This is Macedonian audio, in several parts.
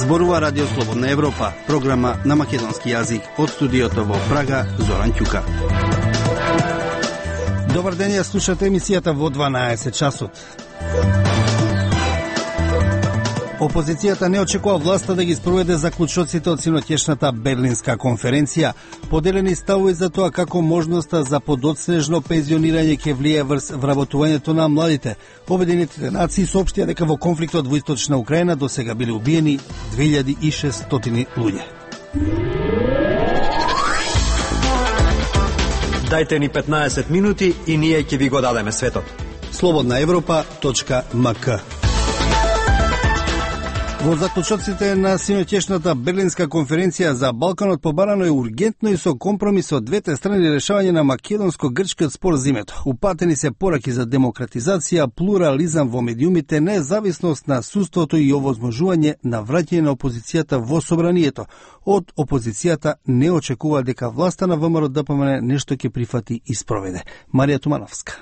Зборува Радио Слободна Европа, програма на македонски јазик од студиото во Прага, Зоран Ќука. Добар ден, ја слушате емисијата во 12 часот. Опозицијата не очекува власта да ги спроведе заклучоците од синоќешната Берлинска конференција. Поделени ставови за тоа како можноста за подоцнежно пензионирање ќе влие врз вработувањето на младите. Обединетите нации соопштија дека во конфликтот во Источна Украина досега биле убиени 2600 луѓе. Дајте ни 15 минути и ние ќе ви го дадеме светот. slobodnaevropa.mk. Во заклучоците на синоќешната Берлинска конференција за Балканот побарано е ургентно и со компромис од двете страни решавање на македонско-грчкиот спор зимето. Упатени се пораки за демократизација, плурализам во медиумите, независност на судството и овозможување на враќање на опозицијата во собранието. Од опозицијата не очекува дека власта на ВМРО-ДПМН нешто ќе прифати и спроведе. Марија Тумановска.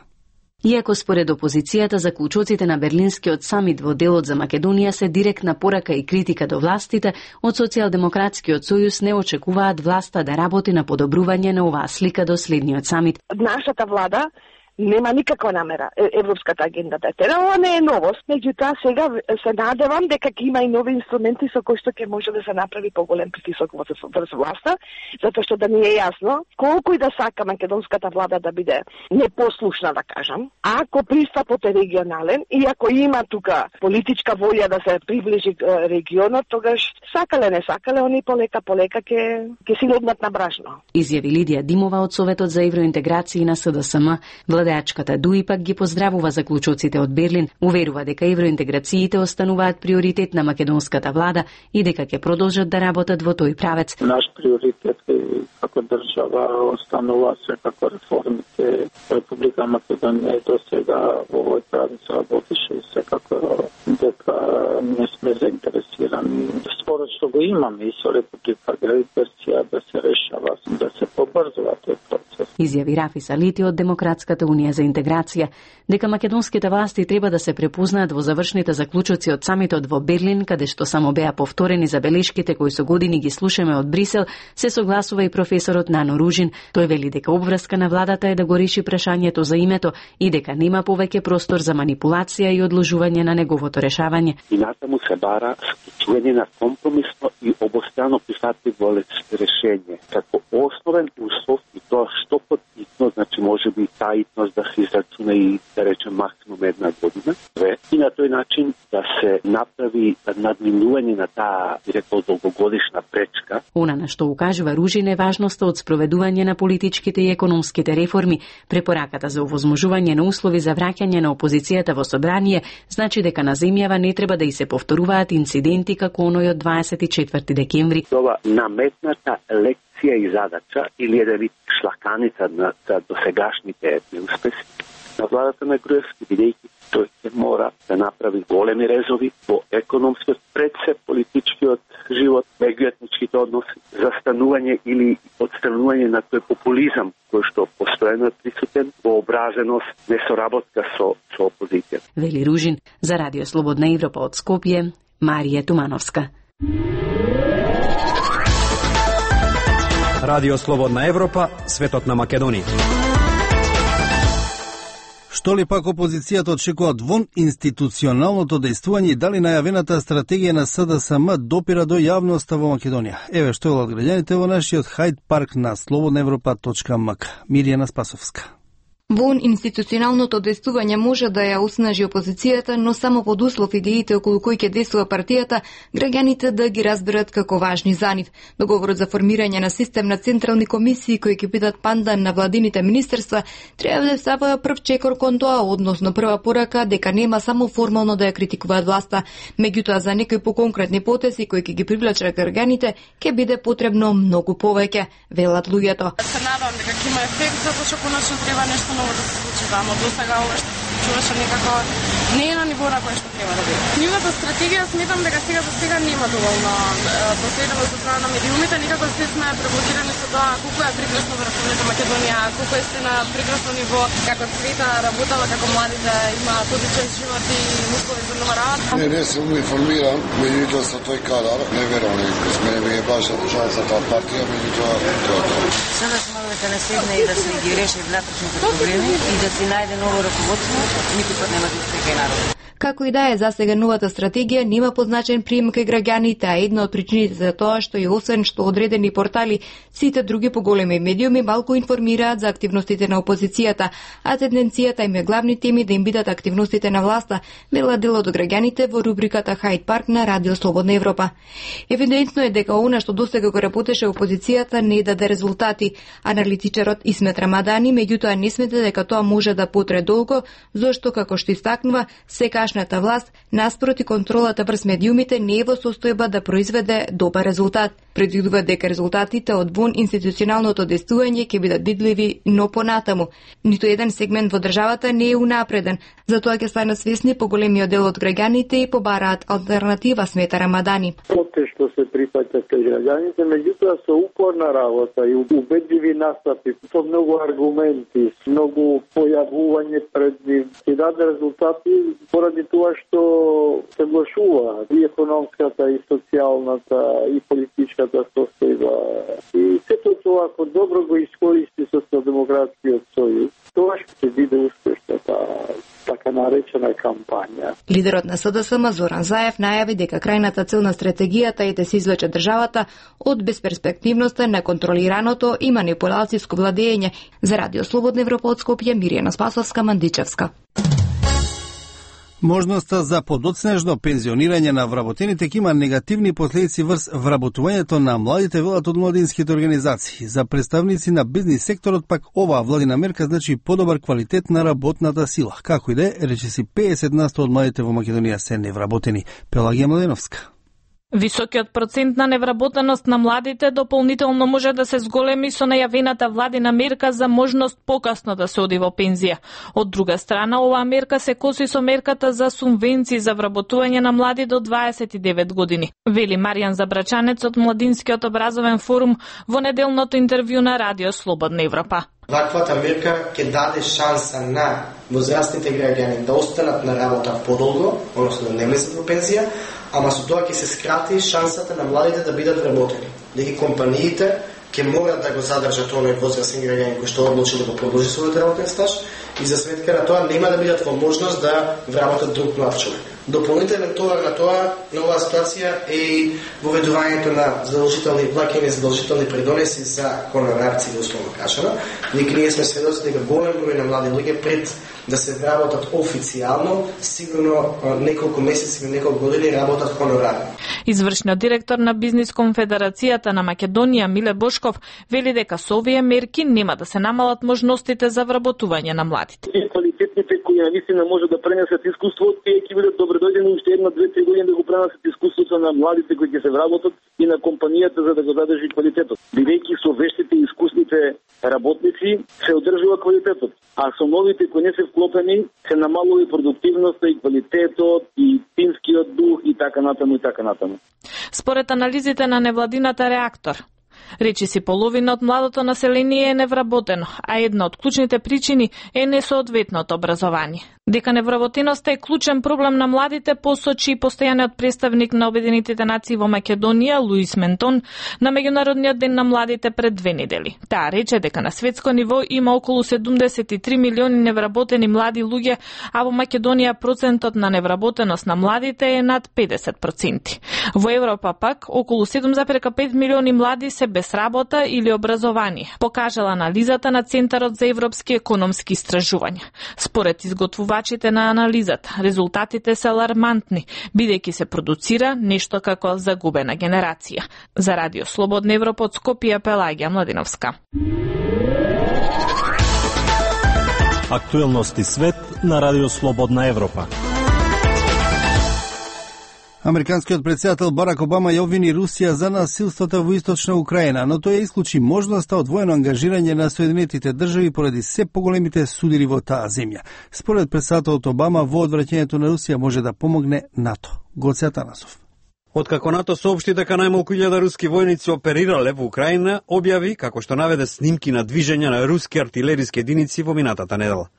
Иако според опозицијата заклучоците на Берлинскиот самит во делот за Македонија се директна порака и критика до властите, од Социјалдемократскиот сојуз не очекуваат власта да работи на подобрување на оваа слика до следниот самит. Нашата влада нема никаква намера европската агенда да тера. Ова не е новост, меѓутоа сега се надевам дека ќе има и нови инструменти со кои што ќе може да се направи поголем притисок врз власта, затоа што да ни е јасно колку и да сака македонската влада да биде непослушна, да кажам, ако пристапот е регионален и ако има тука политичка волја да се приближи регионот, тогаш сакале не сакале, они полека ќе си легнат на брашно. Изјави Лидија Димова од Советот за евроинтеграција на СДСМ. Владеачката ДУИ пак ги поздравува заклучоците од Берлин, уверува дека евроинтеграциите остануваат приоритет на македонската влада и дека ќе продолжат да работат во тој правец. Наш приоритет е како држава останува секако реформите. Република Македонија до сега во овој правец работише и секако дека не сме заинтересирани. Според што го имаме и со Република Грција да се решава, да се побрзува тој процес. Изјави Рафи Салити од Демократската унија за интеграција, дека македонските власти треба да се препознаат во завршните заклучоци од самитот во Берлин, каде што само беа повторени забелешките кои со години ги слушаме од Брисел, се согласува и професорот Нано Ружин. Тој вели дека обврска на владата е да го реши прашањето за името и дека нема повеќе простор за манипулација и одложување на неговото решавање. И натаму се бара склучување на компромисно и обостранно прифатливо решење како основен услов и тоа што потитно, значи може би таитност да се израчуна и да речем максимум 1 година, и на тој начин да се направи надминување на таа, рекол, долгогодишна пречка. Она на што укажува Ружин е важноста од спроведување на политичките и економските реформи. Препораката за овозможување на услови за враќање на опозицијата во собрание значи дека на земјава не треба да и се повторуваат инциденти како оној од 24 декември. Ова наметната лекција и задача или еден вид шлаканица на досегашните неуспеси на владата на Груевски, бидејќи тој ќе мора да направи големи резови во економскиот, пред се политичкиот живот, меѓуетничките односи, застанување или отстранување на тој популизам кој што постојано е присутен, вообразеност, несоработка со опозицијата. Вели Ружин за Радио Слободна Европа од Скопје, Марија Тумановска. Радио Слободна Европа, светот на Македонија. Што ли пак опозицијата очекува вон институционалното дејствување и дали најавената стратегија на СДСМ допира до јавноста во Македонија? Еве што велат граѓаните во нашиот Хајд парк на slobodnaevropa.mk. Миријана Спасовска. Вон институционалното действување може да ја оснажи опозицијата, но само под услов идеите околу кои ќе действува партијата, граѓаните да ги разберат како важни за нив. Договорот за формирање на систем на централни комисии кои ќе бидат пандан на владините министерства треба да става прв чекор кон тоа, односно прва порака дека нема само формално да ја критикуваат власта, меѓутоа за некои поконкретни потези кои ќе ги привлечат граѓаните ќе биде потребно многу повеќе, велат луѓето. Се надам дека ќе има ефект, затоа што конечно треба нешто ново да се случи таму. Досега ова што чуваше некако не е на ниво на кое што треба да биде. Нивната стратегија сметам дека сега за сега нема доволно последовност од страна на медиумите, некако се сме преблокирани со тоа колку е прекрасно во Република Македонија, колку е на прекрасно ниво, како света работела, како младите имаат одличен живот и услови за нова работа. Не сум информиран, меѓутоа со тој кадар, не верувам, мене ми е баш држава за таа партија, меѓутоа тоа. Сега сме да се наседне и да се ги реши внатрешните проблеми и да се најде ново раководство, никој пат нема да успеха и народ. Како и да е, за сега новата стратегија нема позначен прием кај граѓаните, а една од причините за тоа што и освен што одредени портали, сите други поголеми медиуми малку информираат за активностите на опозицијата, а тенденцијата им е главни теми да им бидат активностите на власта, вела дел од граѓаните во рубриката Хайд Парк на Радио Слободна Европа. Евидентно е дека она што досега го работеше опозицијата не даде резултати. Аналитичарот Исмет Рамадани меѓутоа не смета дека тоа може да потрае долго, зашто како што истакнува, секашната власт наспроти контролата врз медиумите не е во состојба да произведе добар резултат. Предвидува дека резултатите од вон институционалното действување ќе бидат видливи, но понатаму. Ниту еден сегмент во државата не е унапреден, затоа ќе станат свесни поголемиот дел од граѓаните и побараат алтернатива, смета Рамадани. Потешно се прифаќа кај граѓаните, меѓутоа со упорна работа и убедливи настапи, со многу аргументи, многу појавување пред нив, ќе даде резултати поради тоа што се влошува и економската, и социјалната, и политичката состојба. И сето тоа, ако добро го искористи Социјалдемократскиот сојуз, тоа ќе биде успешната така наречена кампања. Лидерот на СДСМ Зоран Заев најави дека крајната цел на стратегијата е да се извлече државата од безперспективноста, неконтролираното и манипулацијско владење. За Радио Слободна Европа од Скопје, Миријана Спасовска, Мандичевска. Можноста за подоцнежно пензионирање на вработените ќе има негативни последици врз вработувањето на младите, велат од младинските организации. За представници на бизнис секторот пак оваа владина мерка значи подобар квалитет на работната сила. Како и да е, речиси 50% од младите во Македонија се невработени. Пелагија Младеновска. Високиот процент на невработеност на младите дополнително може да се зголеми со најавената владина мерка за можност покасно да се оди во пензија. Од друга страна, оваа мерка се коси со мерката за субвенции за вработување на млади до 29 години. Вели Маријан Забрачанец од Младинскиот образовен форум во неделното интервју на Радио Слободна Европа. Ваквата мерка ќе даде шанса на возрастните граѓани да останат на работа подолго, односно да не влезат во пензија, ама со тоа ќе се скрати шансата на младите да бидат вработени. Дека компаниите ќе морат да го задржат оној возрастен граѓанин кој што одлучи да го продолжи својот работен стаж и за сметка на тоа нема да бидат во можност да вработат друг млад човек. Дополнителен товар на тоа, на оваа ситуација е и воведувањето на задолжителни плаќања, задолжителни придонеси за хонорарци, условно кажано, дека ние сме сведоци дека голем број на млади луѓе пред да се вработат официјално, сигурно неколку месеци или неколку години работат хонорарно. Извршниот директор на Бизнис конфедерацијата на Македонија Миле Бошков вели дека со овие мерки нема да се намалат можностите за вработување на младите. И квалитетните кои наистина може да пренесат искуство, тие ќе бидат добредојдени уште 1-2-3 години да го пренесат искуството на младите кои ќе се вработат и на компанијата за да го задржи квалитетот. Бидејќи со вештите и искусните работници се одржува квалитетот, а со новите кои не се вклопени се намалува и продуктивноста и квалитетот и тимскиот дух и така натаму и така натаму. Според анализите на невладината Реактор, речиси половина од младото население е невработено, а една од клучните причини е несоодветното образование. Дека невработеноста е клучен проблем на младите, посочи и постојаниот представник на Обединетите нации во Македонија Луис Ментон на Меѓународниот ден на младите пред 2 недели. Таа рече дека на светско ниво има околу 73 милиони невработени млади луѓе, а во Македонија процентот на невработеност на младите е над 50%. Во Европа пак околу 7,5 милиони млади се без работа или образование, покажала анализата на Центарот за европски економски истражувања. Според изготвувачите на анализата, резултатите се алармантни, бидејќи се продуцира нешто како загубена генерација. За Радио Слободна Европа од Скопје, Пелагија Младеновска. Актуелности свет на Радио Слободна Европа. Американскиот претседател Барак Обама ја обвини Русија за насилствата во источна Украина, но тој ја исклучи можноста од воено ангажирање на Соединетите држави поради се поголемите судири во таа земја. Според претседателот Обама, во одвраќањето на Русија може да помогне НАТО. Гоце Атанасов. Откако НАТО соопшти дека најмалку 1000 руски војници оперирале во Украина, објави како што наведе снимки на движење на руски артилериски единици во минатата недела.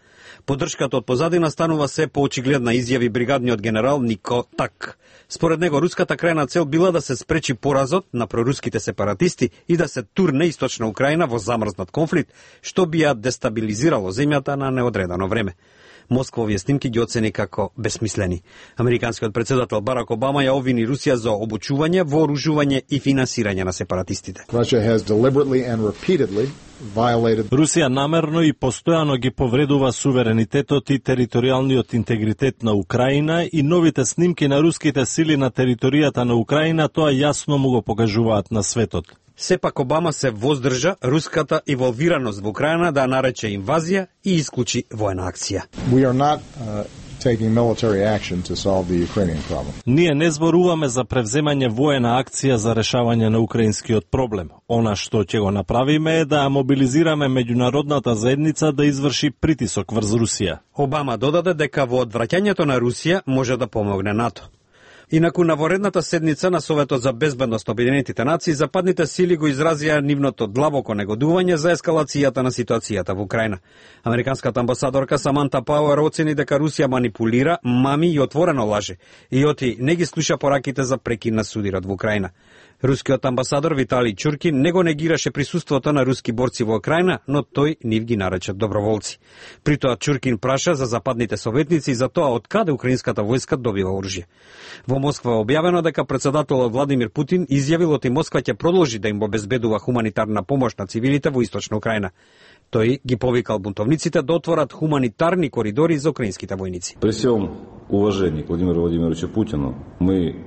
Поддршката од позадина станува се поочигледна, изјави бригадниот генерал Нико Так. Според него, руската крајна цел била да се спречи поразот на проруските сепаратисти и да се турне источна Украина во замрзнат конфликт, што би ја дестабилизирало земјата на неодредено време. Москва овие снимки ги оцени како безсмислени. Американскиот председател Барак Обама ја обвини Русија за обучување, вооружување и финансирање на сепаратистите. Русија намерно и постојано ги повредува суверенитетот и територијалниот интегритет на Украина и новите снимки на руските сили на територијата на Украина тоа јасно му го покажуваат на светот. Сепак Обама се воздржа руската инволвираност во Украина да нарече инвазија и исклучи воена акција. Ние не зборуваме за превземање воена акција за решавање на украинскиот проблем. Она што ќе го направиме е да мобилизираме меѓународната заедница да изврши притисок врз Русија. Обама додаде дека во одвраќањето на Русија може да помогне НАТО. Инаку на воредната седница на Советот за безбедност на Обединетите нации, западните сили го изразија нивното длабоко негодување за ескалацијата на ситуацијата во Украина. Американската амбасадорка Саманта Пауер оцени дека Русија манипулира, мами и отворено лаже, и оти не ги слуша пораките за прекин на судирот во Украина. Рускиот амбасадор Виталий Чуркин не го негираше присуството на руски борци во Украина, но тој нив ги нарече доброволци. При тоа Чуркин праша за западните советници и за тоа од каде украинската војска добива оружје. Во Москва е објавено дека председателот Владимир Путин изјавил оти Москва ќе продолжи да им обезбедува хуманитарна помош на цивилите во источна Украина. Тој ги повикал бунтовниците да отворат хуманитарни коридори за украинските војници. При сем уважение к Владимиру Владимировичу Путину,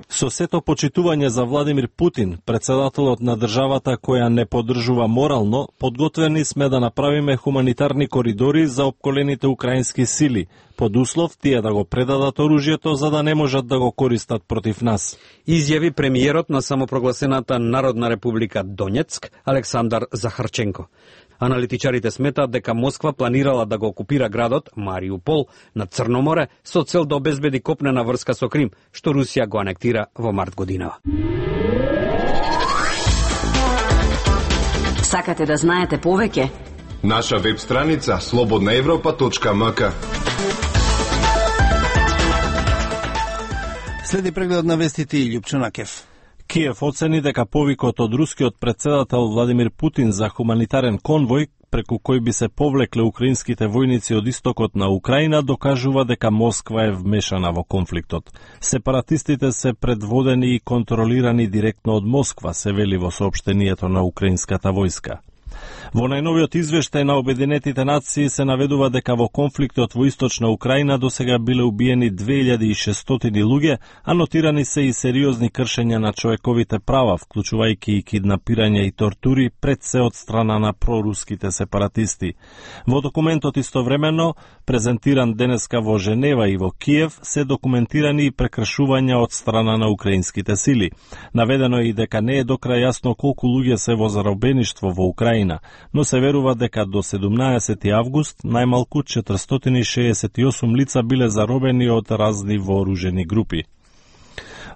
Со сето почитување за Владимир Путин, председателот на државата која не поддржува морално, подготвени сме да направиме хуманитарни коридори за опколените украински сили, под услов тие да го предадат оружјето за да не можат да го користат против нас. Изјави премиерот на самопрогласената Народна република Донецк Александар Захарченко. Аналитичарите сметаат дека Москва планирала да го окупира градот Мариупол на Црно море со цел да обезбеди копнена врска со Крим, што Русија го анектира во март годинава. Сакате да знаете повеќе? Наша веб страница slobodnaevropa.mk. Следи преглед на вестите и Љупчо Кев. Киев оцени дека повикот од рускиот председател Владимир Путин за хуманитарен конвој, преку кој би се повлекле украинските војници од истокот на Украина, докажува дека Москва е вмешана во конфликтот. Сепаратистите се предводени и контролирани директно од Москва, се вели во соопштението на украинската војска. Во најновиот извештај на Обединетите нации се наведува дека во конфликтот во источна Украина досега биле убиени 2600 луѓе, а нотирани се и сериозни кршења на човековите права, вклучувајќи и киднапирање и тортури, пред се од страна на проруските сепаратисти. Во документот истовремено, презентиран денеска во Женева и во Киев, се документирани и прекршувања од страна на украинските сили. Наведено е и дека не е до крај јасно колку луѓе се во заробеништво во Украина, но се верува дека до 17 август најмалку 468 лица биле заробени од разни вооружени групи.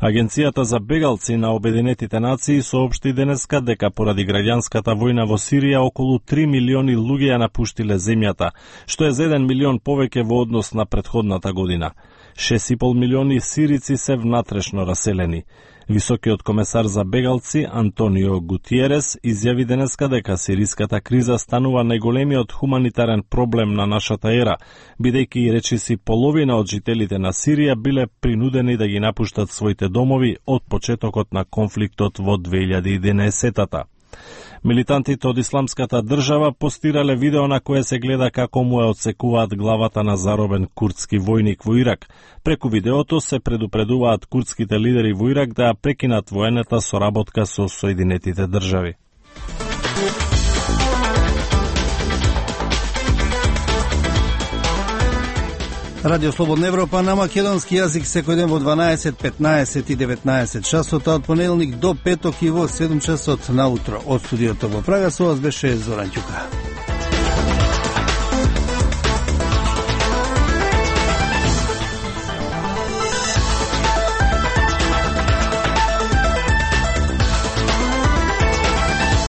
Агенцијата за бегалци на Обединетите нации соопшти денеска дека поради граѓанската војна во Сирија околу 3 милиони луѓе ја напуштиле земјата, што е за 1 милион повеќе во однос на претходната година. 6,5 милиони сирици се внатрешно раселени. Високиот комесар за бегалци Антонио Гутиерес изјави денеска дека сириската криза станува најголемиот хуманитарен проблем на нашата ера, бидејќи речиси половина од жителите на Сирија биле принудени да ги напуштат своите домови од почетокот на конфликтот во 2011-та. Милитантите од Исламската држава постирале видео на кое се гледа како му ја отсекуваат главата на заробен курдски војник во Ирак. Преку видеото се предупредуваат курдските лидери во Ирак да ја прекинат воената соработка со Соединетите држави. Радио Слободна Европа на македонски јазик секој ден во 12, 15 и 19 часот, од понеделник до петок и во 7 часот наутро. Од студиото во Прага со вас беше Зоран Ќука.